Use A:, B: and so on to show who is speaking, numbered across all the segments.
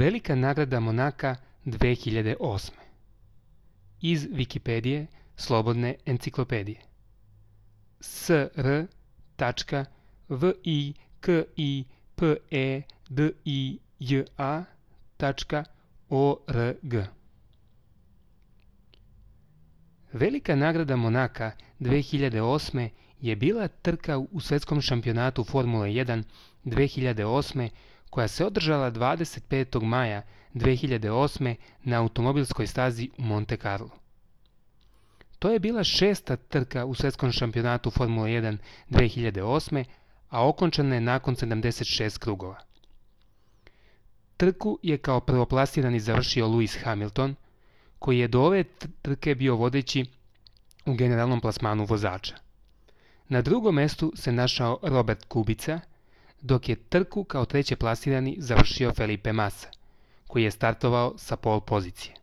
A: Velika nagrada Monaka 2008. Iz Wikipedije, slobodne enciklopedije. sr.wikipedija.org. Velika nagrada Monaka 2008. je bila trka u svetskom šampionatu Formule 1 2008. koja se održala 25. maja 2008. na automobilskoj stazi u Monte Carlo. To je bila 6. trka u svetskom šampionatu Formule 1 2008. a okončana je nakon 76 krugova. Trku je kao prvoplasirani završio Lewis Hamilton, koji je do ove trke bio vodeći u generalnom plasmanu vozača. Na drugom mestu se našao Robert Kubica, dok je trku kao treće plasirani završio Felipe Massa, koji je startovao sa pol pozicije.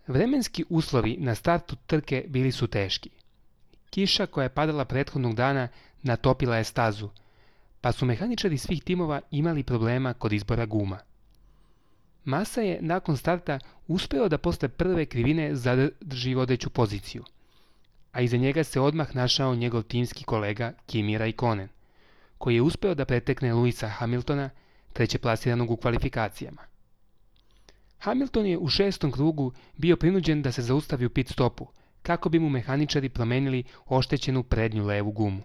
A: Vremenski uslovi na startu trke bili su teški. Kiša koja je padala prethodnog dana natopila je stazu, pa su mehaničari svih timova imali problema kod izbora guma. Massa je nakon starta uspeo da posle prve krivine zadrži vodeću poziciju, a iza njega se odmah našao njegov timski kolega Kimi Raikkonen, koji je uspeo da pretekne Lewisa Hamiltona, trećeplasiranog u kvalifikacijama. Hamilton je u 6. krugu bio prinuđen da se zaustavi u pit stopu, kako bi mu mehaničari promenili oštećenu prednju levu gumu.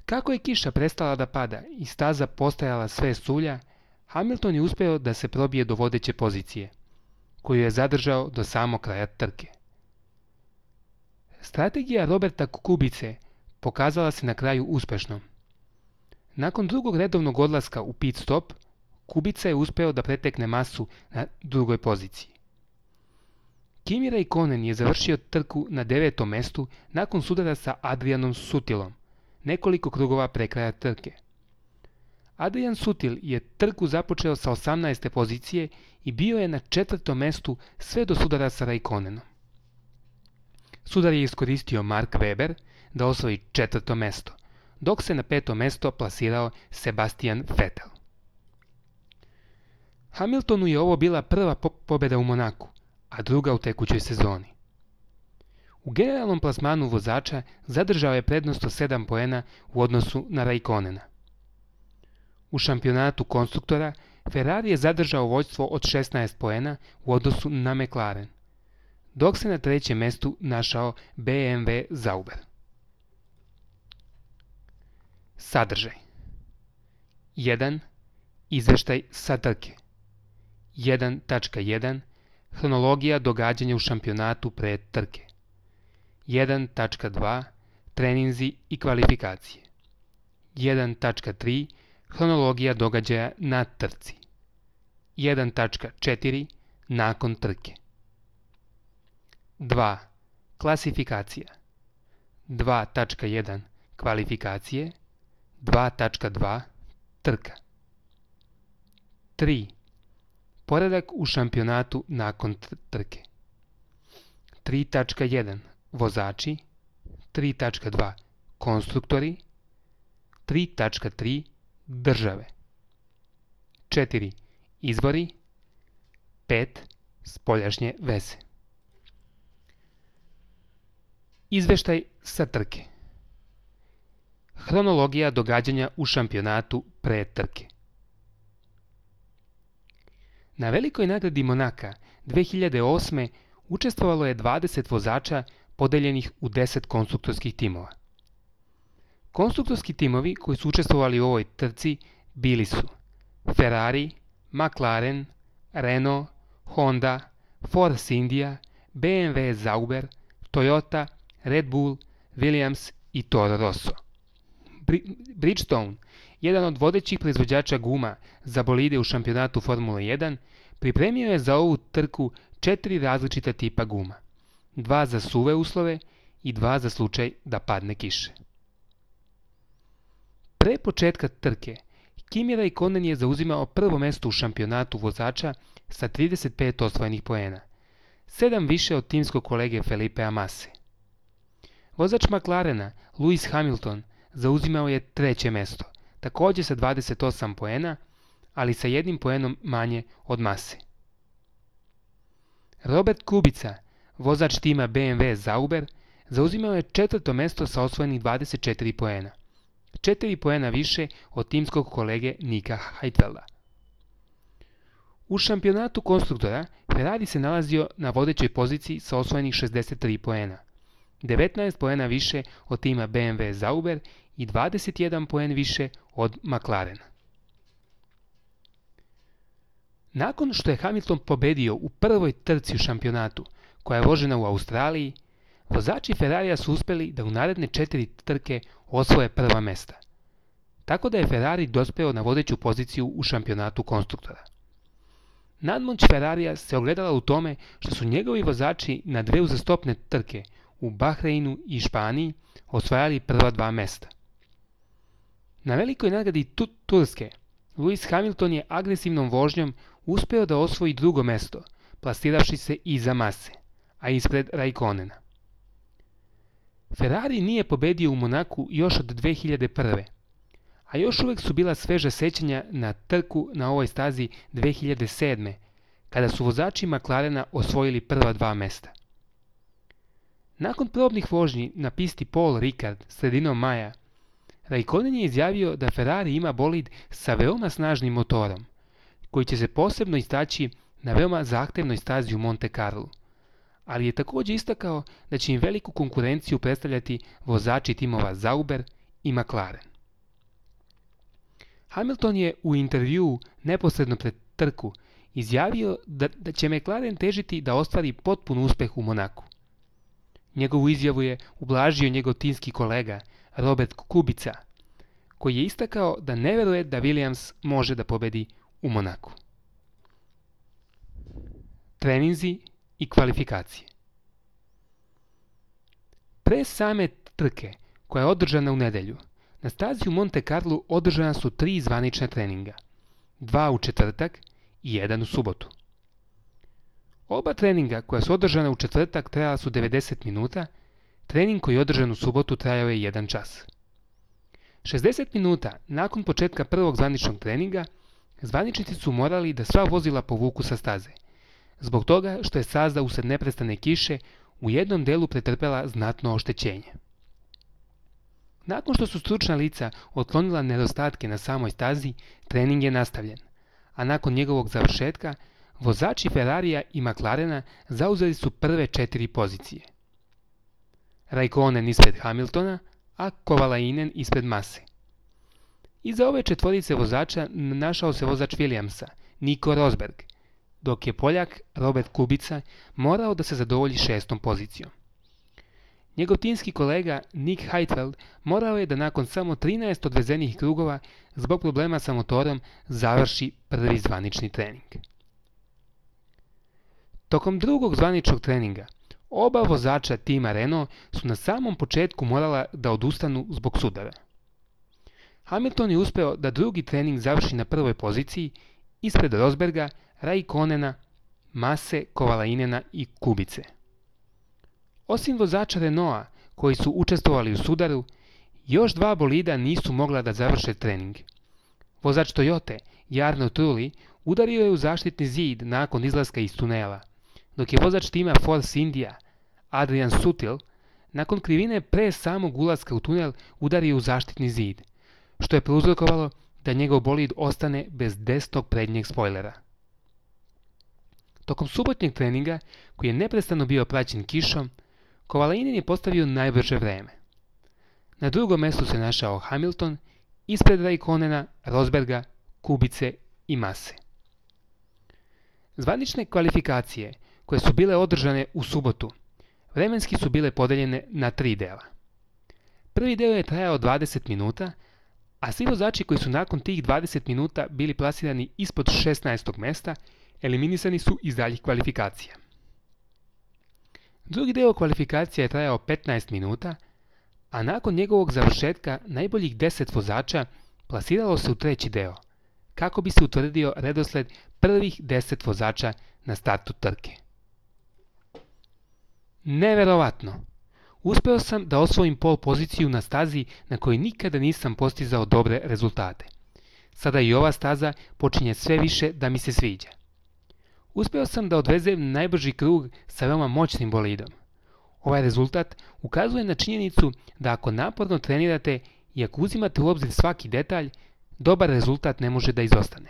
A: Kako je kiša prestala da pada i staza postajala sve sulja, Hamilton je uspeo da se probije do vodeće pozicije, koju je zadržao do samog kraja trke. Strategija Roberta Kubice pokazala se na kraju uspešnom. Nakon drugog redovnog odlaska u pit stop, Kubica je uspeo da pretekne Massu na drugoj poziciji. Kimi Raikkonen je završio trku na 9. mestu nakon sudara sa Adrianom Sutilom, nekoliko krugova pre kraja trke. Adrian Sutil je trku započeo sa 18. pozicije i bio je na 4. mestu sve do sudara sa Raikkonenom. Sudar je iskoristio Mark Webber da osvoji 4. mesto, dok se na 5. mesto plasirao Sebastian Vettel. Hamiltonu je ovo bila prva pobjeda u Monaku, a druga u tekućoj sezoni. U generalnom plasmanu vozača zadržao je prednost od 7 poena u odnosu na Raikkonena. U šampionatu konstruktora Ferrari je zadržao vođstvo od 16 poena u odnosu na McLaren, dok se na 3. mestu našao BMW Sauber. Sadržaj 1. Izveštaj sa trke 1.1. Hronologija događanja u šampionatu pre trke 1.2. Treninzi i kvalifikacije 1.3. Hronologija događaja na trci 1.4. Nakon trke 2. Klasifikacija 2.1. Kvalifikacije 2.2. Trka 3. Poredak u šampionatu nakon trke 3.1. Vozači 3.2. Konstruktori 3.3. Države 4. Izvori 5. Spoljašnje veze. Izveštaj sa trke. Hronologija događanja u šampionatu pre trke. Na velikoj nagradi Monaka 2008. učestvovalo je 20 vozača podeljenih u 10 konstruktorskih timova. Konstruktorski timovi koji su učestvovali u ovoj trci bili su Ferrari, McLaren, Renault, Honda, Force India, BMW Sauber, Toyota, Red Bull, Williams i Toro Rosso. Bridgestone, jedan od vodećih proizvođača guma za bolide u šampionatu Formule 1, pripremio je za ovu trku 4 različita tipa guma, 2 za suve uslove i 2 za slučaj da padne kiše. Pre početka trke, Kimi Raikkonen je zauzimao prvo mesto u šampionatu vozača sa 35 osvojenih poena, 7 više od timskog kolege Felipea Masse. Vozač McLarena, Lewis Hamilton, zauzimao je 3. mesto, također sa 28 poena, ali sa 1 poenom manje od Mase. Robert Kubica, vozač tima BMW Sauber, zauzimao je 4. mesto sa osvojenih 24 poena. 4 poena više od timskog kolege Nika Heidfelda. U šampionatu konstruktora Ferrari se nalazio na vodećoj poziciji sa osvojenih 63 poena. 19 poena više od tima BMW Sauber i 21 poen više od McLarena. Nakon što je Hamilton pobedio u prvoj trci u šampionatu, koja je vožena u Australiji, vozači Ferrarija su uspjeli da u naredne 4 trke osvoje prva mesta. Tako da je Ferrari dospeo na vodeću poziciju u šampionatu konstruktora. Nadmoć Ferrarija se ogledala u tome što su njegovi vozači na 2 uzastopne trke u Bahreinu i Španiji osvajali prva 2 mesta. Na velikoj nagradi Turske, Lewis Hamilton je agresivnom vožnjom uspeo da osvoji 2. mesto, plasiravši se iza Mase, a ispred Raikkonena. Ferrari nije pobedio u Monaku još od 2001. A još uvijek su bila sveža sećanja na trku na ovoj stazi 2007. kada su vozači McLarena osvojili prva 2 mesta. Nakon probnih vožnji na pisti Paul Ricard sredinom maja, Raikkonen je izjavio da Ferrari ima bolid sa veoma snažnim motorom, koji će se posebno istaći na veoma zahtevnoj stazi u Monte Carlo, ali je također istakao da će im veliku konkurenciju predstavljati vozači timova Sauber i McLaren. Hamilton je u intervjuu neposredno pred trku izjavio da će McLaren težiti da ostvari potpun uspjeh u Monaku. Njegovu izjavu je ublažio njegov timski kolega Robert Kubica, koji je istakao da ne vjeruje da Williams može da pobedi u Monaku. Treninzi i kvalifikacije. Pre same trke, koja je održana u nedjelju, na stazi u Monte Carlo održana su 3 zvanična treninga, 2 u četvrtak i 1 u subotu. Oba treninga koja su održana u četvrtak trajala su 90 minuta, trening koji je održan u subotu trajao je 1 čas. 60 minuta nakon početka prvog zvaničnog treninga, zvaničnici su morali da sva vozila povuku sa staze, zbog toga što je staza usred neprestane kiše u jednom delu pretrpela znatno oštećenje. Nakon što su stručna lica otklonila nedostatke na samoj stazi, trening je nastavljen, a nakon njegovog završetka, vozači Ferrarija i McLarena zauzeli su prve 4 pozicije. Raikkonen ispred Hamiltona, a Kovalainen ispred Mase. Iza ove četvorice vozača našao se vozač Williamsa, Nico Rosberg, dok je Poljak Robert Kubica morao da se zadovolji 6. pozicijom. Njegov timski kolega Nick Heidfeld morao je da nakon samo 13 odvezenih krugova zbog problema sa motorom završi prvi zvanični trening. Tokom drugog zvaničnog treninga, oba vozača tima Renault su na samom početku morala da odustanu zbog sudara. Hamilton je uspeo da drugi trening završi na prvoj poziciji ispred Rosberga, Raikkonena, Mase, Kovalainena i Kubice. Osim vozača Renaulta koji su učestvovali u sudaru, još 2 bolida nisu mogla da završe trening. Vozač Toyote, Jarno Trulli, udario je u zaštitni zid nakon izlaska iz tunela, dok je vozač tima Force India, Adrian Sutil, nakon krivine pre samog ulaska u tunel udario u zaštitni zid, što je prouzrokovalo da njegov bolid ostane bez desnog prednjeg spojlera. Tokom subotnjeg treninga, koji je neprestano bio praćen kišom, Kovalainen je postavio najbrže vreme. Na drugom mjestu se našao Hamilton, ispred Raikkonena, Rosberga, Kubice i Mase. Zvanične kvalifikacije, koje su bile održane u subotu, vremenski su bile podeljene na 3 dela. Prvi deo je trajao 20 minuta, a svi vozači koji su nakon tih 20 minuta bili plasirani ispod 16. mjesta, eliminisani su iz daljih kvalifikacija. Drugi deo kvalifikacija je trajao 15 minuta, a nakon njegovog završetka najboljih 10 vozača plasiralo se u treći deo, kako bi se utvrdio redosled prvih 10 vozača na startu trke. Neverovatno! Uspeo sam da osvojim pol poziciju na stazi na kojoj nikada nisam postizao dobre rezultate. Sada i ova staza počinje sve više da mi se sviđa. Uspeo sam da odvezem najbrži krug sa veoma moćnim bolidom. Ovaj rezultat ukazuje na činjenicu da ako naporno trenirate i ako uzimate u obzir svaki detalj, dobar rezultat ne može da izostane.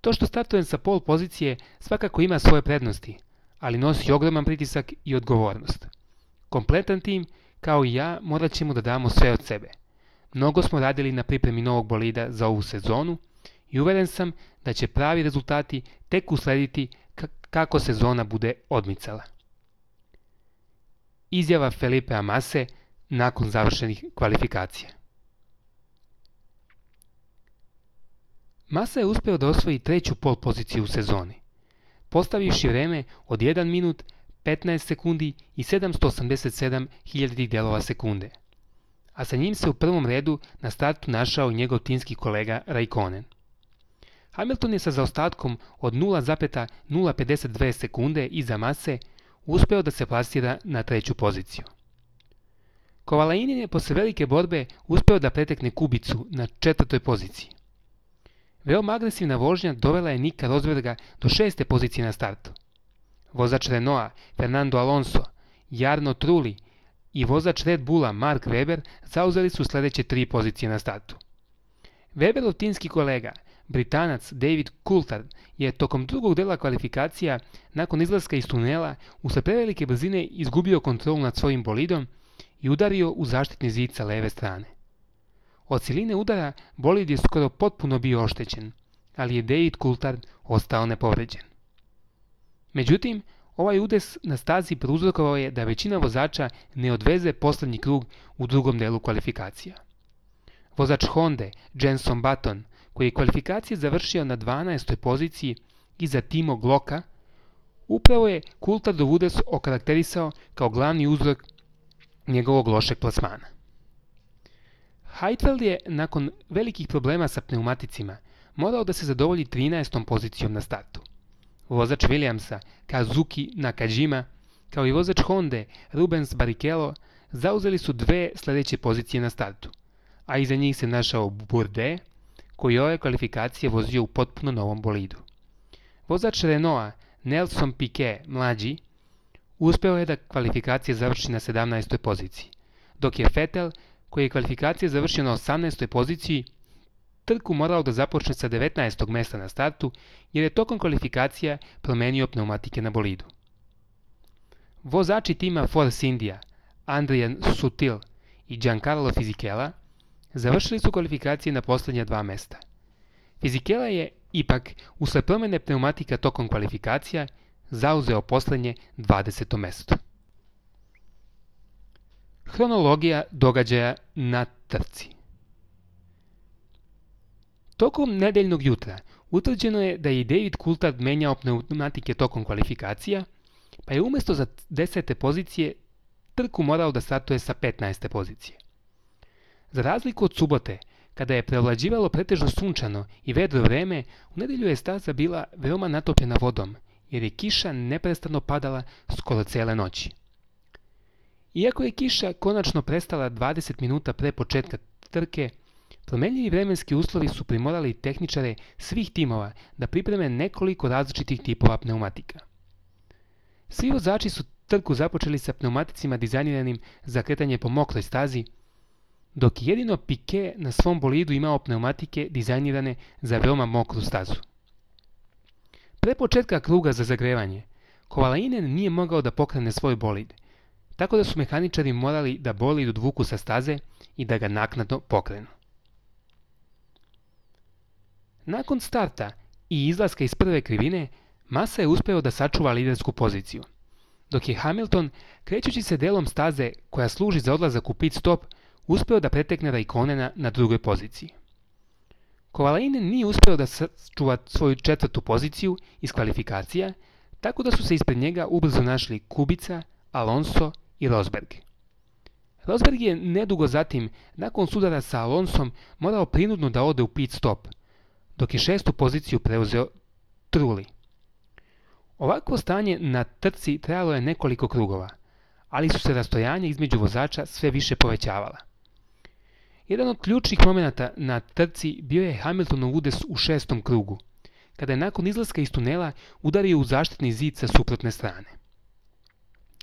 A: To što startujem sa pol pozicije svakako ima svoje prednosti, ali nosi ogroman pritisak i odgovornost. Kompletan tim, kao i ja, morat ćemo da damo sve od sebe. Mnogo smo radili na pripremi novog bolida za ovu sezonu i uveren sam da će pravi rezultati tek uslediti kako sezona bude odmicala. Izjava Felipea Mase nakon završenih kvalifikacija. Masa je uspeo da osvoji treću pol poziciju u sezoni, postavivši vreme od 1 minut, 15 sekundi i 787 hiljaditih delova sekunde. A sa njim se u prvom redu na startu našao i njegov timski kolega Raikkonen. Hamilton je sa zaostatkom od 0,052 sekunde iza Mase uspeo da se plasira na treću poziciju. Kovalainen je posle velike borbe uspeo da pretekne Kubicu na četvrtoj poziciji. Veoma agresivna vožnja dovela je Nika Rosberga do 6. pozicije na startu. Vozač Renaulta Fernando Alonso, Jarno Trulli i vozač Red Bulla Mark Webber zauzeli su sledeće 3 pozicije na startu. Weberov timski kolega, Britanac David Coulthard, je tokom drugog dela kvalifikacija nakon izlaska iz tunela usled prevelike brzine izgubio kontrolu nad svojim bolidom i udario u zaštitni zid sa leve strane. Od siline udara bolid je skoro potpuno bio oštećen, ali je David Coulthard ostao nepovređen. Međutim, ovaj udes na stazi prouzrokovao je da većina vozača ne odveze poslednji krug u drugom delu kvalifikacija. Vozač Honde, Jenson Button, koji je kvalifikacije završio na 12. poziciji iza Timo Glocka, upravo je Coulthardov udes okarakterisao kao glavni uzrok njegovog lošeg plasmana. Heidfeld je, nakon velikih problema sa pneumaticima, morao da se zadovolji 13. pozicijom na startu. Vozač Williamsa, Kazuki Nakajima, kao i vozač Honde, Rubens Barrichello, zauzeli su 2 sledeće pozicije na startu, a iza njih se našao Bourdais, koji je ove kvalifikacije vozio u potpuno novom bolidu. Vozač Renaulta, Nelson Piquet, mlađi, uspeo je da kvalifikacije završi na 17. poziciji, dok je Vettel, koji je kvalifikacije završio na 18. poziciji, trku morao da započne sa 19. mesta na startu, jer je tokom kvalifikacija promenio pneumatike na bolidu. Vozači tima Force India, Adrian Sutil i Giancarlo Fisichella, završili su kvalifikacije na poslednja 2 mesta. Fisichella je, ipak, usled promene pneumatika tokom kvalifikacija, zauzeo poslednje 20. mesto. Hronologija događaja na trci. Tokom nedeljnog jutra utvrđeno je da je David Coulthard menjao pneumatike tokom kvalifikacija, pa je umesto za 10. pozicije trku morao da startuje sa 15. pozicije. Za razliku od subote, kada je preovlađivalo pretežno sunčano i vedro vreme, u nedelju je staza bila veoma natopljena vodom, jer je kiša neprestano padala skoro cele noći. Iako je kiša konačno prestala 20 minuta pre početka trke, promenljivi vremenski uslovi su primorali tehničare svih timova da pripreme nekoliko različitih tipova pneumatika. Svi vozači su trku započeli sa pneumaticima dizajniranim za kretanje po mokroj stazi, dok je jedino Piquet na svom bolidu imao pneumatike dizajnirane za veoma mokru stazu. Pre početka kruga za zagrevanje, Kovalainen nije mogao da pokrene svoj bolid, tako da su mehaničari morali da bolid odvuku sa staze i da ga naknadno pokrenu. Nakon starta i izlaska iz prve krivine, Massa je uspeo da sačuva lidersku poziciju, dok je Hamilton, krećući se delom staze koja služi za odlazak u pit stop, uspeo da pretekne Raikkonena na drugoj poziciji. Kovalainen nije uspeo da sačuva svoju 4. poziciju iz kvalifikacija, tako da su se ispred njega ubrzo našli Kubica, Alonso i Rosberg. Rosberg je nedugo zatim, nakon sudara sa Alonsom, morao prinudno da ode u pit stop, dok je 6. poziciju preuzeo Trulli. Ovakvo stanje na trci trajalo je nekoliko krugova, ali su se rastojanja između vozača sve više povećavala. Jedan od ključnih momenata na trci bio je Hamiltonov udes u 6. krugu, kada je nakon izlaska iz tunela udario u zaštitni zid sa suprotne strane.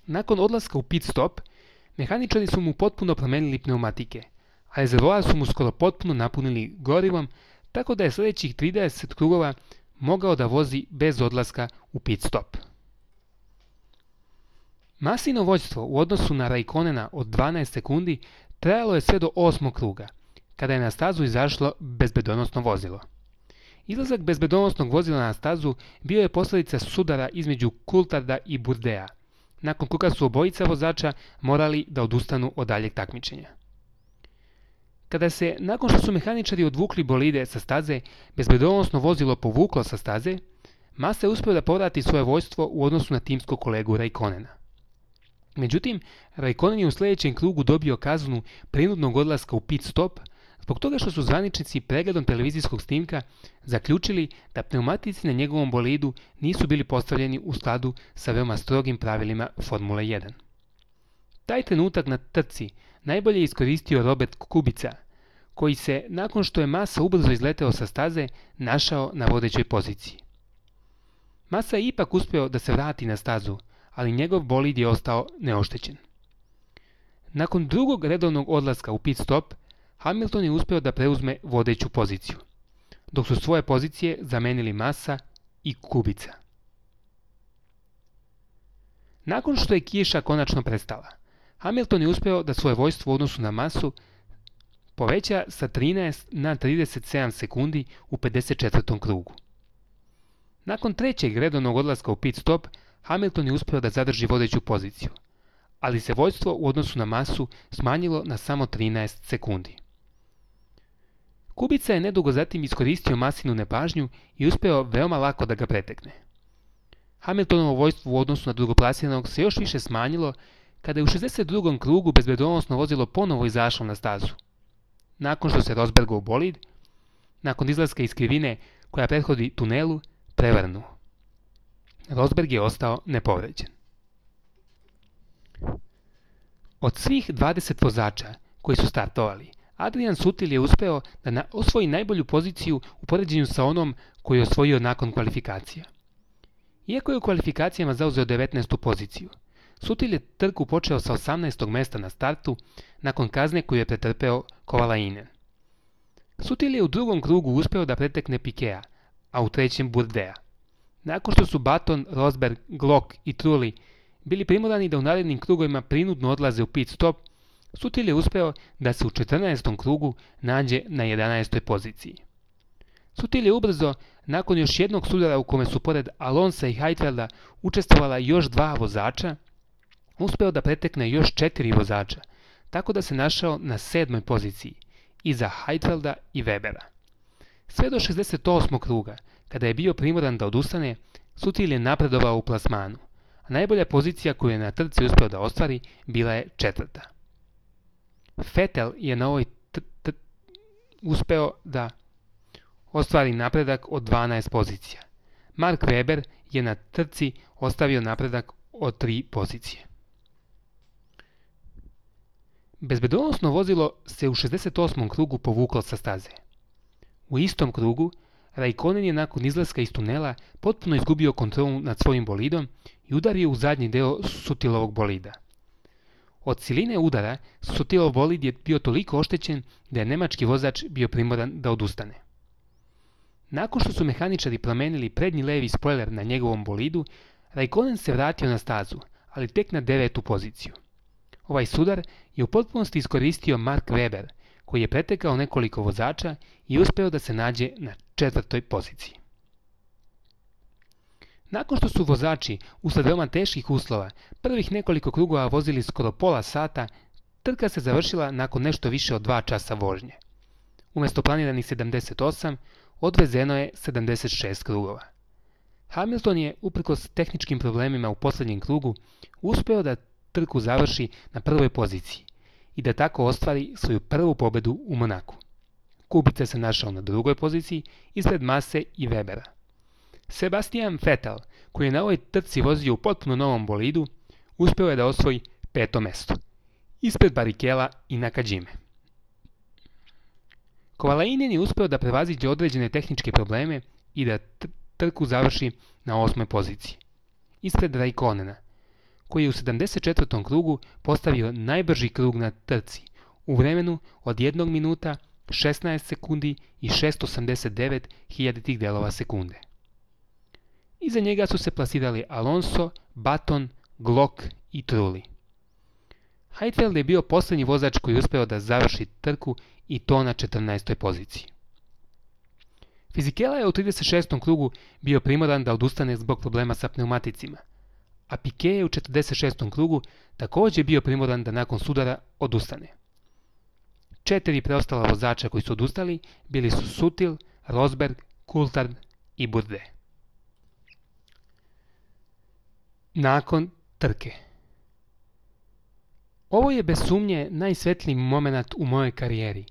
A: Nakon odlaska u pit stop, mehaničari su mu potpuno promenili pneumatike, a rezervoar su mu skoro potpuno napunili gorivom, tako da je sljedećih 30 krugova mogao da vozi bez odlaska u pit stop. Massino vođstvo u odnosu na Raikkonena od 12 sekundi trajalo je sve do 8. kruga, kada je na stazu izašlo bezbedonosno vozilo. Izlazak bezbedonosnog vozila na stazu bio je posljedica sudara između Coultharda i Bourdea, nakon koga su obojica vozača morali da odustanu od daljeg takmičenja. Kada se, nakon što su mehaničari odvukli bolide sa staze, bezbedonosno vozilo povuklo sa staze, Massa je uspio da povrati svoje vođstvo u odnosu na timskog kolegu Raikkonena. Međutim, Raikkonen je u sljedećem krugu dobio kaznu prinudnog odlaska u pit stop zbog toga što su zvaničnici pregledom televizijskog snimka zaključili da pneumatici na njegovom bolidu nisu bili postavljeni u skladu sa veoma strogim pravilima Formule 1. Taj trenutak na trci najbolje je iskoristio Robert Kubica, koji se, nakon što je Massa ubrzo izleteo sa staze, našao na vodećoj poziciji. Massa je ipak uspio da se vrati na stazu, ali njegov bolid je ostao neoštećen. Nakon drugog redovnog odlaska u pit stop, Hamilton je uspio da preuzme vodeću poziciju, dok su svoje pozicije zamenili Massa i Kubica. Nakon što je kiša konačno prestala, Hamilton je uspio da svoje vođstvo u odnosu na Massu poveća sa 13 na 37 sekundi u 54. krugu. Nakon trećeg redovnog odlaska u pit stop, Hamilton je uspio da zadrži vodeću poziciju, ali se vođstvo u odnosu na Massu smanjilo na samo 13 sekundi. Kubica je nedugo zatim iskoristio Massinu nepažnju i uspeo veoma lako da ga pretekne. Hamiltonovo vođstvo u odnosu na drugoplasiranog se još više smanjilo kada je u 62. krugu bezbedonosno vozilo ponovo izašlo na stazu. Nakon što se Rosbergov bolid, nakon izlaska iz krivine koja prethodi tunelu, prevrnuo. Rosberg je ostao nepovređen. Od svih 20 vozača koji su startovali, Adrian Sutil je uspeo da osvoji najbolju poziciju u poređenju sa onom koju je osvojio nakon kvalifikacija. Iako je u kvalifikacijama zauzeo 19. poziciju, Sutil je trku počeo sa 18. mesta na startu nakon kazne koju je pretrpeo Kovalainen. Sutil je u drugom krugu uspeo da pretekne Pikea, a u trećem Bourdea. Nakon što su Button, Rosberg, Glock i Trulli bili primorani da u narednim krugovima prinudno odlaze u pit stop, Sutil je uspeo da se u 14. krugu nađe na 11. poziciji. Sutil je ubrzo, nakon još jednog sudara u kome su pored Alonsa i Heidfelda učestvovala još 2 vozača, uspeo da pretekne još 4 vozača, tako da se našao na 7. poziciji, iza Heidfelda i Webera. Sve do 68. kruga, kada je bio primoran da odustane, Sutil je napredovao u plasmanu, a najbolja pozicija koju je na trci uspeo da ostvari bila je 4. Vettel je na ovoj uspeo da ostvari napredak od 12 pozicija. Mark Webber je na trci ostavio napredak od 3 pozicije. Bezbedonosno vozilo se u 68. krugu povuklo sa staze. U istom krugu, Raikkonen je nakon izlaska iz tunela potpuno izgubio kontrolu nad svojim bolidom i udario u zadnji deo Sutilovog bolida. Od siline udara Sutilov bolid je bio toliko oštećen da je nemački vozač bio primoran da odustane. Nakon što su mehaničari promenili prednji levi spojler na njegovom bolidu, Raikkonen se vratio na stazu, ali tek na 9. poziciju. Ovaj sudar je u potpunosti iskoristio Mark Webber, koji je pretekao nekoliko vozača i uspeo da se nađe na 4. poziciji. Nakon što su vozači, usled veoma teških uslova, prvih nekoliko krugova vozili skoro pola sata, trka se završila nakon nešto više od 2 časa vožnje. Umjesto planiranih 78, odvezeno je 76 krugova. Hamilton je, uprkos tehničkim problemima u posljednjem krugu, uspeo da trku završi na 1. poziciji i da tako ostvari svoju prvu pobedu u Monaku. Kubica se našao na 2. poziciji ispred Masse i Webera. Sebastian Vettel, koji je na ovoj trci vozio u potpuno novom bolidu, uspeo je da osvoji 5. mesto, ispred Barrichella i Nakajime. Kovalainen je uspeo da prevaziđe određene tehničke probleme i da trku završi na 8. poziciji, ispred Raikkonena, koji je u 74. krugu postavio najbrži krug na trci u vremenu od 1 minuta, 16 sekundi i 689 hiljaditih delova sekunde. Iza njega su se plasirali Alonso, Button, Glock i Trulli. Heidfeld je bio posljednji vozač koji je uspeo da završi trku i to na 14. poziciji. Fisichella je u 36. krugu bio primoran da odustane zbog problema sa pneumaticima, a Piquet je u 46. krugu također bio primoran da nakon sudara odustane. 4 preostala vozača koji su odustali bili su Sutil, Rosberg, Coulthard i Bourdais. Nakon trke. Ovo je bez sumnje najsvetliji moment u mojoj karijeri,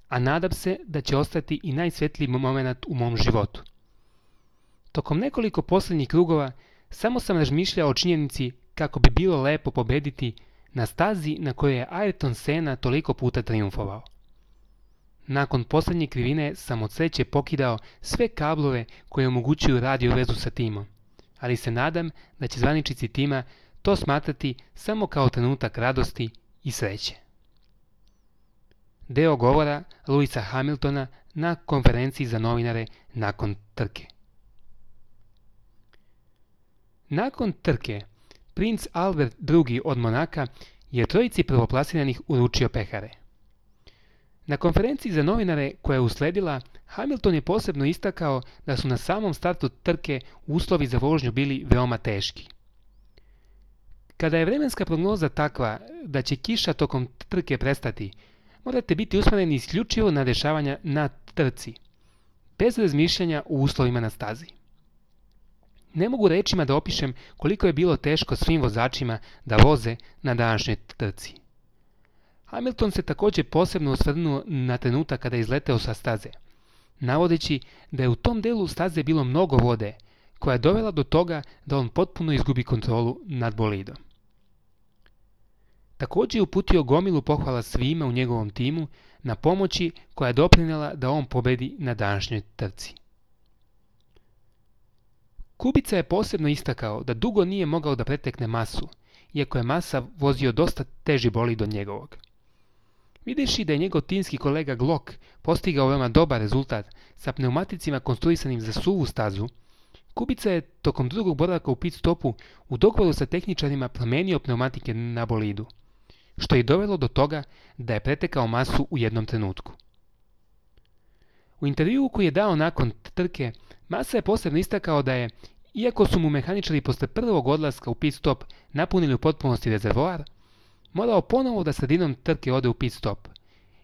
A: a nadam se da će ostati i najsvetliji moment u mom životu. Tokom nekoliko posljednjih krugova samo sam razmišljao o činjenici kako bi bilo lepo pobediti na stazi na kojoj je Ayrton Senna toliko puta trijumfovao. Nakon posljednje krivine sam od sreće pokidao sve kablove koje omogućuju radio vezu sa timom, ali se nadam da će zvaničnici tima to smatrati samo kao trenutak radosti i sreće. Deo govora Lewisa Hamiltona na konferenciji za novinare nakon trke. Nakon trke, princ Albert II od Monaka je trojici prvoplasiranih uručio pehare. Na konferenciji za novinare koja je usledila, Hamilton je posebno istakao da su na samom startu trke uslovi za vožnju bili veoma teški. Kada je vremenska prognoza takva da će kiša tokom trke prestati, morate biti usmjereni isključivo na dešavanja na trci, bez razmišljanja o uslovima na stazi. Ne mogu rečima da opišem koliko je bilo teško svim vozačima da voze na današnjoj trci. Hamilton se također posebno osvrnuo na trenutak kada je izleteo sa staze, navodeći da je u tom delu staze bilo mnogo vode, koja je dovela do toga da on potpuno izgubi kontrolu nad bolidom. Također je uputio gomilu pohvala svima u njegovom timu na pomoći koja je doprinijela da on pobedi na današnjoj trci. Kubica je posebno istakao da dugo nije mogao da pretekne Massu, iako je Massa vozio dosta teži bolid od njegovog. Videći da je njegov timski kolega Glock postigao veoma dobar rezultat sa pneumaticima konstruisanim za suvu stazu, Kubica je tokom drugog boravka u pit stopu u dogovoru sa tehničarima promenio pneumatike na bolidu, što je dovelo do toga da je pretekao Massu u jednom trenutku. U intervjuu koji je dao nakon trke, Massa je posebno istakao da je, iako su mu mehaničari posle prvog odlaska u pit stop napunili u potpunosti rezervoar, morao ponovo da sredinom trke ode u pit stop,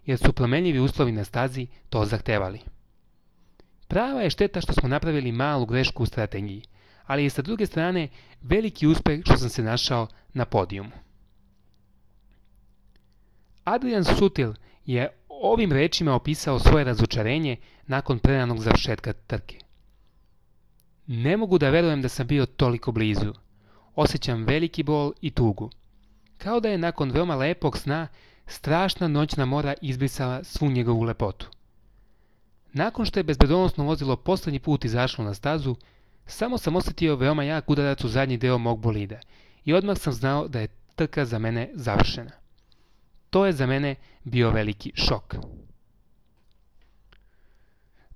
A: jer su promenljivi uslovi na stazi to zahtevali. Prava je šteta što smo napravili malu grešku u strategiji, ali je sa druge strane veliki uspeh što sam se našao na podijumu. Adrian Sutil je ovim rečima opisao svoje razočarenje nakon preranog završetka trke. Ne mogu da verujem da sam bio toliko blizu. Osjećam veliki bol i tugu. Kao da je nakon veoma lepog sna strašna noćna mora izbrisala svu njegovu lepotu. Nakon što je bezbedonosno vozilo posljednji put izašlo na stazu, samo sam osjetio veoma jak udarac u zadnji deo mog bolida i odmah sam znao da je trka za mene završena. To je za mene bio veliki šok.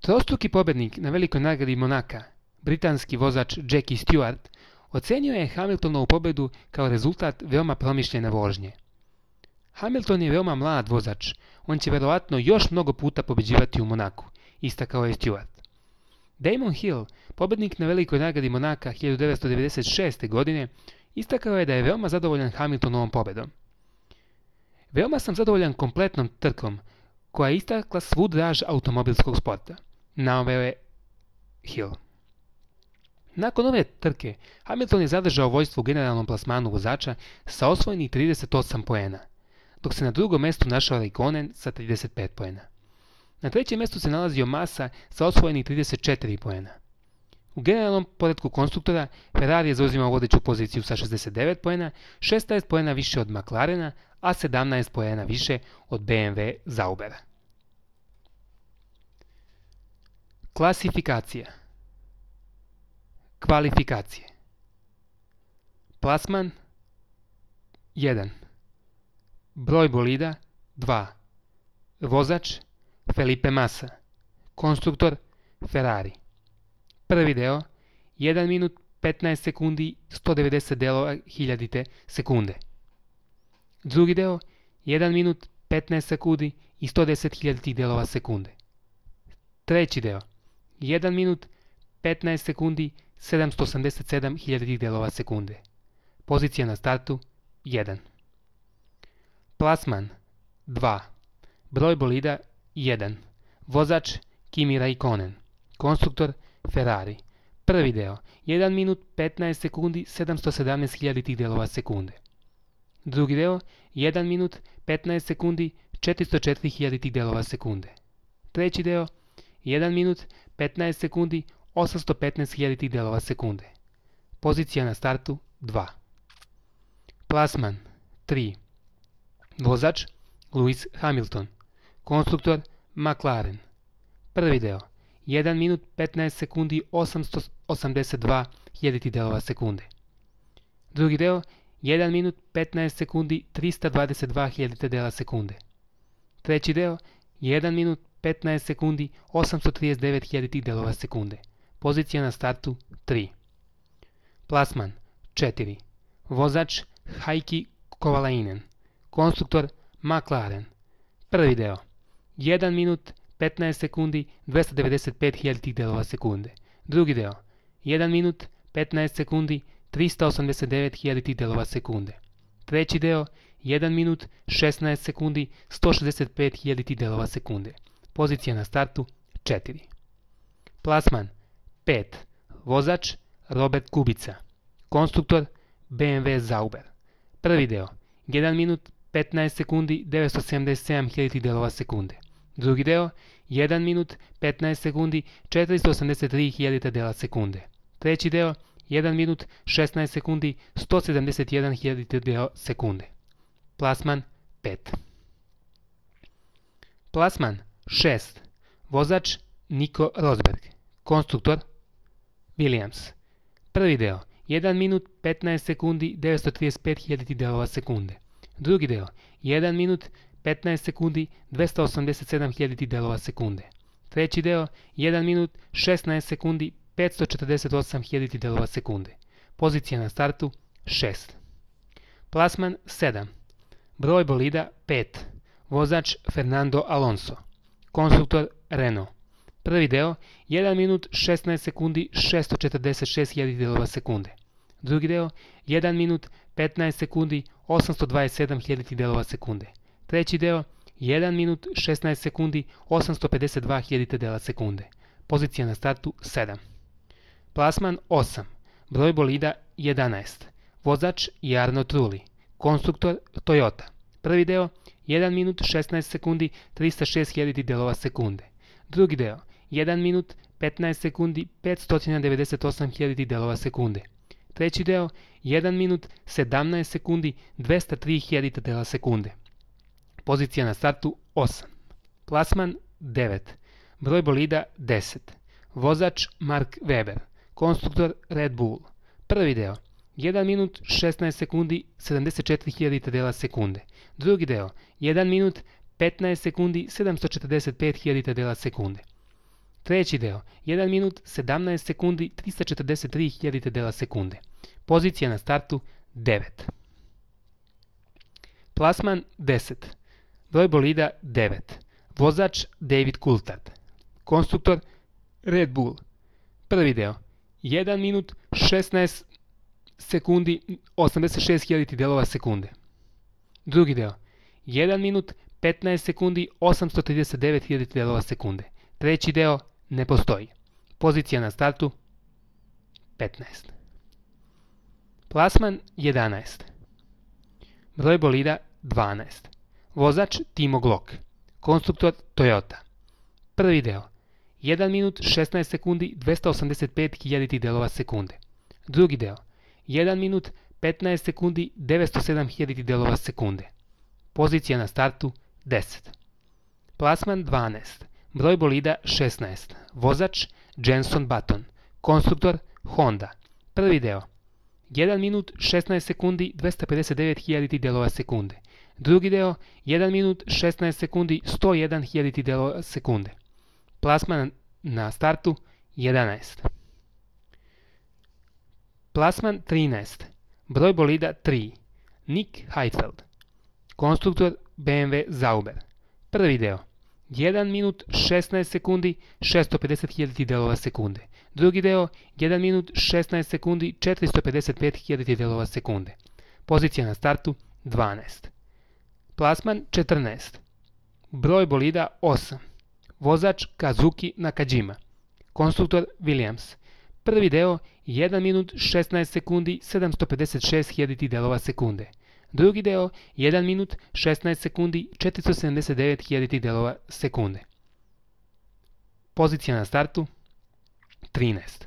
A: Trostruki pobednik na velikoj nagradi Monaka, britanski vozač Jackie Stewart, ocenio je Hamiltonovu pobedu kao rezultat veoma promišljene vožnje. Hamilton je veoma mlad vozač, on će verovatno još mnogo puta pobeđivati u Monaku, istakao je Stewart. Damon Hill, pobednik na velikoj nagradi Monaka 1996. godine, istakao je da je veoma zadovoljan Hamiltonovom pobedom. Veoma sam zadovoljan kompletnom trkom, koja je istakla svu draž automobilskog sporta, naveo je Hill. Nakon ove trke, Hamilton je zadržao vođstvo u generalnom plasmanu vozača sa osvojenih 38 poena, dok se na drugom mjestu našao Raikkonen sa 35 poena. Na trećem mjestu se nalazio Massa sa osvojenih 34 poena. U generalnom poretku konstruktora Ferrari je zauzimao vodeću poziciju sa 69 poena, 16 poena više od McLarena, a 17 poena više od BMW Zaubera. Klasifikacija. Kvalifikacije. Plasman 1. Broj bolida 2. Vozač Felipe Massa. Konstruktor Ferrari. Prvi deo 1 minut 15 sekundi 190 delova hiljadite sekunde. Drugi deo 1 minut 15 sekundi i 110 hiljaditih delova sekunde. Treći deo 1 minut 15 sekundi 787 hiljaditih delova sekunde. Pozicija na startu 1. Plasman 2. Broj bolida 1. Vozač Kimi Raikkonen. Konstruktor Ferrari. Prvi deo 1 minut 15 sekundi 717 hiljaditih delova sekunde. Drugi deo 1 minut 15 sekundi 404 hiljaditih delova sekunde. Treći deo 1 minut 15 sekundi 815 hiljaditih delova sekunde. Pozicija na startu 2. Plasman 3. Vozač Lewis Hamilton. Konstruktor McLaren. Prvi deo 1 minut 15 sekundi 882 hiljaditih delova sekunde. Drugi deo 1 minut 15 sekundi 322 hiljadite dela sekunde. Treći deo 1 minut 15 sekundi 839 hiljaditih delova sekunde. Pozicija na startu 3. Plasman 4. Vozač Heikki Kovalainen. Konstruktor McLaren. Prvi deo 1 minut 15 sekundi 295 hiljaditih delova sekunde. Drugi deo 1 minut 15 sekundi 389 hiljaditih delova sekunde. Treći deo 1 minut 16 sekundi 165 hiljaditih delova sekunde. Pozicija na startu 4. Plasman 5. Vozač Robert Kubica. Konstruktor BMW Zauber. Prvi deo 1 minut 15 sekundi 977 hiljaditih delova sekunde. Drugi deo 1 minut 15 sekundi 483 hiljadita dela sekunde. Treći deo 1 minut 16 sekundi 171 hiljadita dela sekunde. Plasman 5. Plasman 6. Vozač Nico Rosberg. Konstruktor Williams. Prvi deo 1 minut 15 sekundi 935 hiljaditih delova sekunde. Drugi deo 1 minut 15 sekundi 287 hiljaditih delova sekunde. Treći deo 1 minut 16 sekundi 548 hiljaditih delova sekunde. Pozicija na startu 6. Plasman 7. Broj bolida 5. Vozač Fernando Alonso. Konstruktor Renault. Prvi deo 1 minut 16 sekundi 646 hiljaditih delova sekunde. Drugi deo 1 minut 15 sekundi 827 hiljaditih delova sekunde. Treći deo 1 minut 16 sekundi 852 hiljadite dela sekunde. Pozicija na startu 7. Plasman 8. Broj bolida 11. Vozač Jarno Trulli. Konstruktor Toyota. Prvi deo 1 minut 16 sekundi 306 hiljaditih delova sekunde. Drugi deo 1 minut 15 sekundi 598 hiljaditih delova sekunde. Treći deo 1 minut 17 sekundi 203 hiljadita dela sekunde. Pozicija na startu 8. Plasman 9. Broj bolida 10. Vozač Mark Webber. Konstruktor Red Bull. Prvi deo 1 minut 16 sekundi 74 hiljadita dela sekunde. Drugi deo 1 minut 15 sekundi 745 hiljadita dela sekunde. Treći deo 1 minut 17 sekundi 343 hiljadita dela sekunde. Pozicija na startu 9. Plasman 10. Broj bolida 9. Vozač David Coulthard. Konstruktor Red Bull. Prvi deo 1 minut 16 sekundi 86 hiljaditih delova sekunde. Drugi deo 1 minut 15 sekundi 839 hiljaditih delova sekunde. Treći deo ne postoji. Pozicija na startu 15. Plasman 11. Broj bolida 12. Vozač Timo Glock. Konstruktor Toyota. Prvi deo 1 minut 16 sekundi 285 hiljaditih delova sekunde. Drugi deo, 1 minut 15 sekundi 907 hiljaditih delova sekunde. Pozicija na startu 10. Plasman 12. Broj bolida 16. Vozač Jenson Button. Konstruktor Honda. Prvi deo, 1 minut 16 sekundi 259 hiljaditih delova sekunde. Drugi deo, 1 minut 16 sekundi 101 hiljaditih delova sekunde. Plasman na startu 11. Plasman 13. Broj bolida 3. Nick Heidfeld. Konstruktor BMW Sauber. Prvi deo, 1 minut 16 sekundi 650 hiljaditih delova sekunde. Drugi deo, 1 minut 16 sekundi 455 hiljaditih delova sekunde. Pozicija na startu 12. Plasman 14. Broj bolida 8. Vozač Kazuki Nakajima. Konstruktor Williams. Prvi deo, 1 minut 16 sekundi 756 hiljaditih delova sekunde. Drugi deo, 1 minut 16 sekundi 479 hiljaditih delova sekunde. Pozicija na startu 13.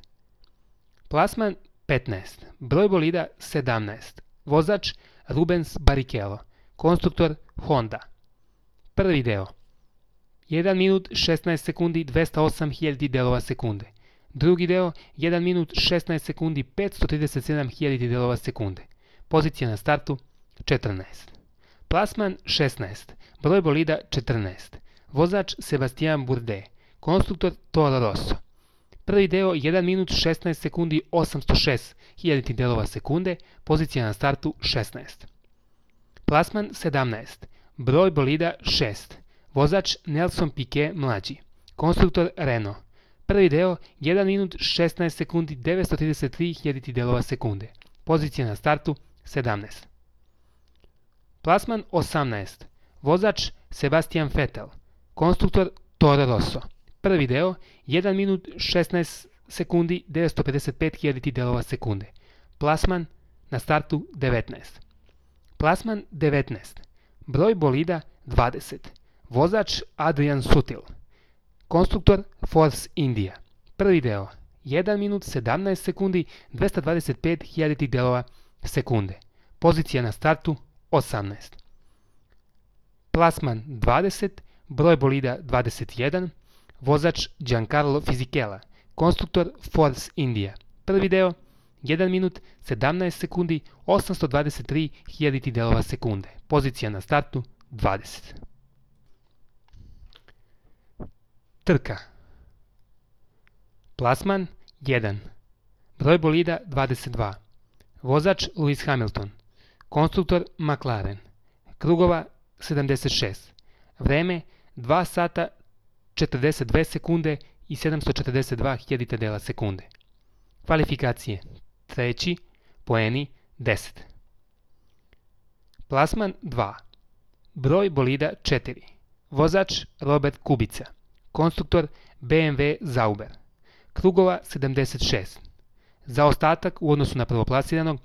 A: Plasman 15. Broj bolida 17. Vozač Rubens Barrichello. Konstruktor Honda. Prvi deo, 1 minut 16 sekundi 208 hiljaditih delova sekunde. Drugi deo, 1 minut 16 sekundi 537 hiljaditih delova sekunde. Pozicija na startu 14. Plasman 16. Broj bolida 14. Vozač Sebastian Bourdais. Konstruktor Toro Rosso. Prvi deo, 1 minut 16 sekundi 806 hiljaditih delova sekunde. Pozicija na startu 16. Plasman 17. Broj bolida 6. Vozač Nelson Piquet mlađi. Konstruktor Renault. Prvi deo, 1 minut 16 sekundi 933 hiljaditih delova sekunde. Pozicija na startu 17. Plasman 18. Vozač Sebastian Vettel. Konstruktor Toro Rosso. Prvi deo, 1 minut 16 sekundi 955 hiljaditih delova sekunde. Plasman na startu 19. Plasman 19. Broj bolida 20. Vozač Adrian Sutil. Konstruktor Force India. Prvi deo, 1 minut 17 sekundi 225 hiljaditih delova sekunde. Pozicija na startu 18. Plasman 20. Broj bolida 21. Vozač Giancarlo Fisichella. Konstruktor Force India. Prvi deo, 1 minut 17 sekundi 823 hiljaditih delova sekunde. Pozicija na startu 20. Trka. Plasman 1. Broj bolida 22. Vozač Lewis Hamilton. Konstruktor McLaren. Krugova 76. Vreme 2 sata 42 sekunde i 742 hiljadita dela sekunde. Kvalifikacije. Treći, poeni 10. Plasman 2. Broj bolida 4. Vozač Robert Kubica. Konstruktor BMW Sauber. Krugova 76. Zaostatak u odnosu na prvoplasiranog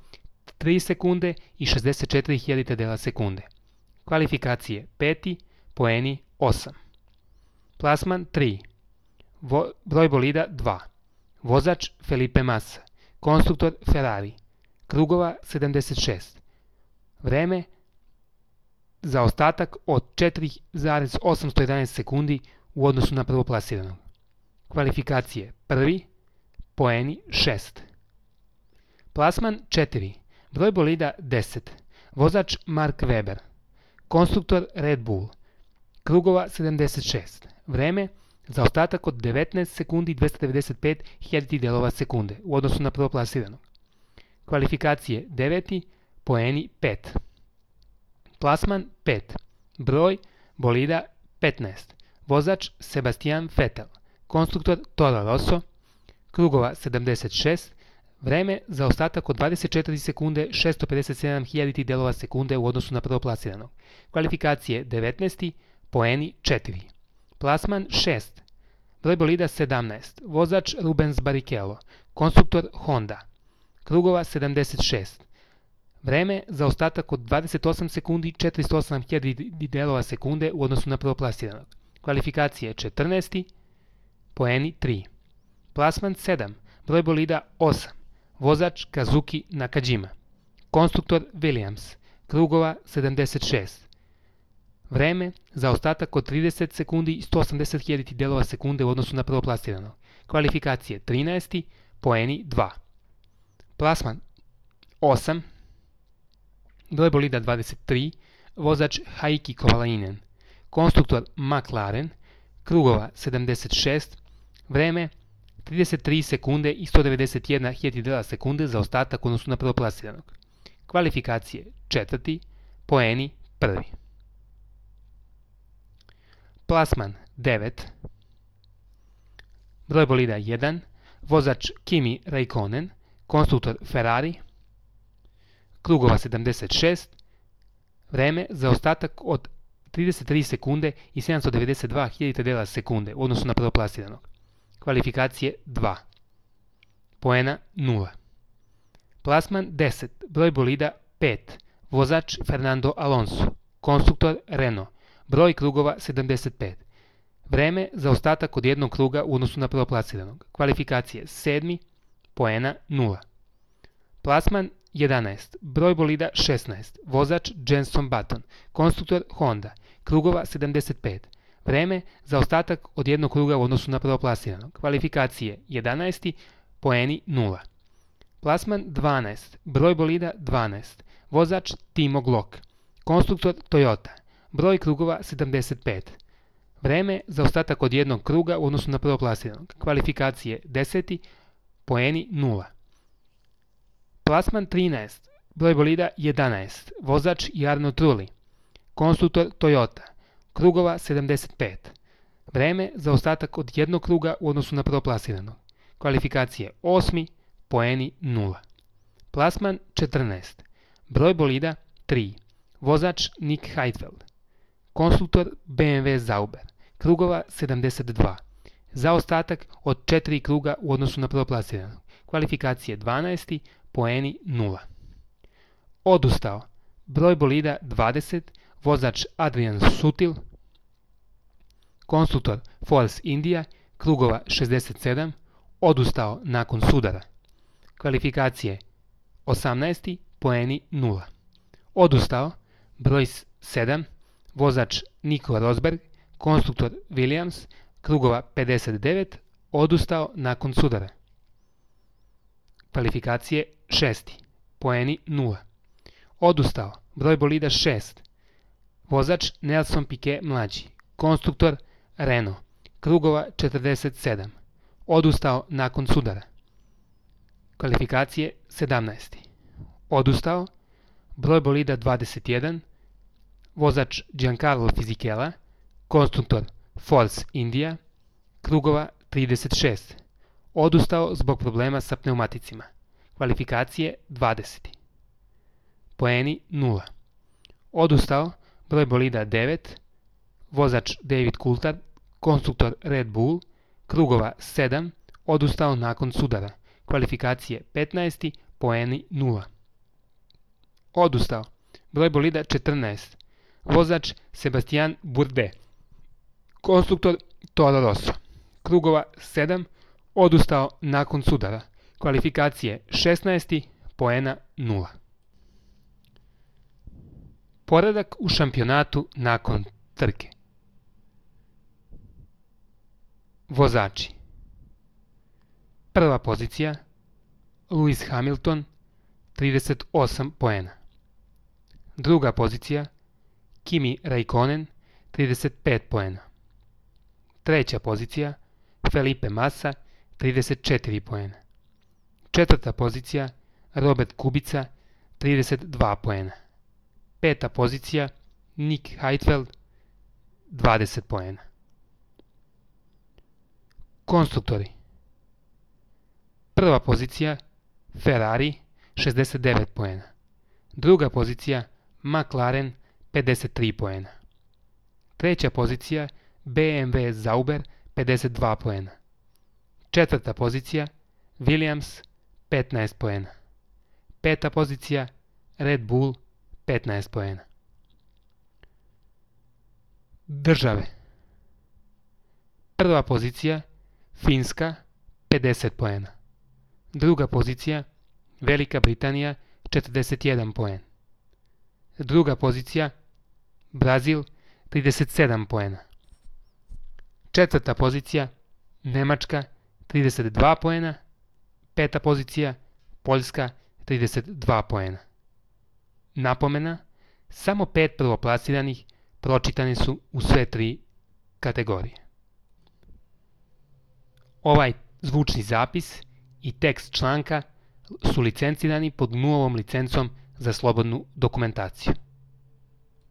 A: 3 sekunde i 64 hiljadita dela sekunde. Kvalifikacije. Peti, poeni 8. Plasman 3. Broj bolida 2. Vozač Felipe Massa. Konstruktor Ferrari. Krugova 76. Vreme zaostatak od 4,811 sekundi u odnosu na prvoplasiranog. Kvalifikacije. Prvi, poeni 6. Plasman 4. Broj bolida 10. Vozač Mark Webber. Konstruktor Red Bull. Krugova 76. Vreme zaostatak od 19 sekundi 295 hiljaditih delova sekunde u odnosu na prvoplasiranog. Kvalifikacije 9. Poeni 5. Plasman 5. Broj bolida 15. Vozač Sebastian Vettel. Konstruktor Toro Rosso. Krugova 76. Vreme zaostatak od 24 sekunde 657 hiljaditih delova sekunde u odnosu na prvoplasiranog. Kvalifikacije 19. Poeni 4. Plasman 6. Broj bolida 17. Vozač Rubens Barrichello. Konstruktor Honda. Krugova 76. Vreme zaostatak od 28 sekundi 408 hiljaditih delova sekunde u odnosu na prvoplasiranog. Kvalifikacije 14. poeni 3. Plasman 7, broj bolida 8, vozač Kazuki Nakajima, konstruktor Williams, krugova 76. Vreme, zaostatak od 30 sekundi i 180.000 delova sekunde u odnosu na prvoplasiranog. Kvalifikacije 13. poeni 2. Plasman 8, broj bolida 23, vozač Heikki Kovalainen, konstruktor McLaren, krugova 76, vreme 33 sekunde i 191.000 dela sekunde za ostatak odnosu na prvoplasiranog. Kvalifikacije 4. poeni 1. Plasman 9, broj bolida 1, vozač Kimi Räikkönen, konstruktor Ferrari, krugova 76, vreme za ostatak od 33 sekunde i 792.000 dela sekunde u odnosu na prvoplasiranog. Kvalifikacije 2. Poena 0. Plasman 10, broj bolida 5, vozač Fernando Alonso, konstruktor Renault, broj krugova 75. Vreme za ostatak od jednog kruga u odnosu na prvoplasiranog. Kvalifikacije 7. Poena 0. Plasman 11, broj bolida 16, vozač Jenson Button, konstruktor Honda, krugova 75. Vreme za ostatak od jednog kruga u odnosu na prvoplasiranog. Kvalifikacije 11. Poeni 0. Plasman 12, broj bolida 12, vozač Timo Glock, konstruktor Toyota, broj krugova 75. Vreme za ostatak od jednog kruga u odnosu na prvoplasiranog. Kvalifikacije 10. Poeni 0. Plasman 13, broj bolida 11, vozač Jarno Trulli, konstruktor Toyota, krugova 75. Vreme za ostatak od jednog kruga u odnosu na prvoplasiranog. Kvalifikacije 8. Poeni 0. Plasman 14, broj bolida 3, vozač Nick Heidfeld, konstruktor BMW Sauber, krugova 72. Zaostatak od 4 kruga u odnosu na prvoplasiranog. Kvalifikacije 12. Poeni 0. Odustao, broj bolida 20, vozač Adrian Sutil, konstruktor Force India, krugova 67, odustao nakon sudara. Kvalifikacije 18. Poeni 0. Odustao, broj 7, vozač Nico Rosberg, konstruktor Williams, krugova 59, odustao nakon sudara. Kvalifikacije 6. Poeni 0. Odustao, broj bolida 6, vozač Nelson Piquet mlađi, konstruktor Renault, krugova 47, odustao nakon sudara. Kvalifikacije 17. Odustao, broj bolida 21, vozač Giancarlo Fisichella, konstruktor Force India, krugova 36, odustao zbog problema sa pneumaticima. Kvalifikacije 20. Poeni 0. Odustao, broj bolida 9, vozač David Coulthard, konstruktor Red Bull, krugova 7, odustao nakon sudara. Kvalifikacije 15. Poeni 0. Odustao, broj bolida 14, vozač Sebastian Bourdais, konstruktor Toro Rosso, krugova 7, odustao nakon sudara. Kvalifikacije 16. Poena 0. Poredak u šampionatu nakon trke. Vozači. Prva pozicija Lewis Hamilton 38 poena. Druga pozicija Kimi Räikkönen 35 poena. Treća pozicija Felipe Massa 34 poena. Četvrta pozicija Robert Kubica 32 poena. Peta pozicija Nick Heidfeld 20 poena. Konstruktori. Prva pozicija Ferrari 69 poena. Druga pozicija McLaren 53 poena. Treća pozicija BMW Sauber 52 poena. Četvrta pozicija Williams 15 poena. Peta pozicija Red Bull 15 poena. Države. Prva pozicija Finska 50 poena. Druga pozicija Velika Britanija 41 poen. Druga pozicija Brazil 37 poena. Četvrta pozicija Nemačka 32 poena. Peta pozicija Poljska 32 poena. Napomena, samo 5 prvoplasiranih pročitani su u sve 3 kategorije. Ovaj zvučni zapis i tekst članka su licencirani pod GNU-ovom licencom za slobodnu dokumentaciju.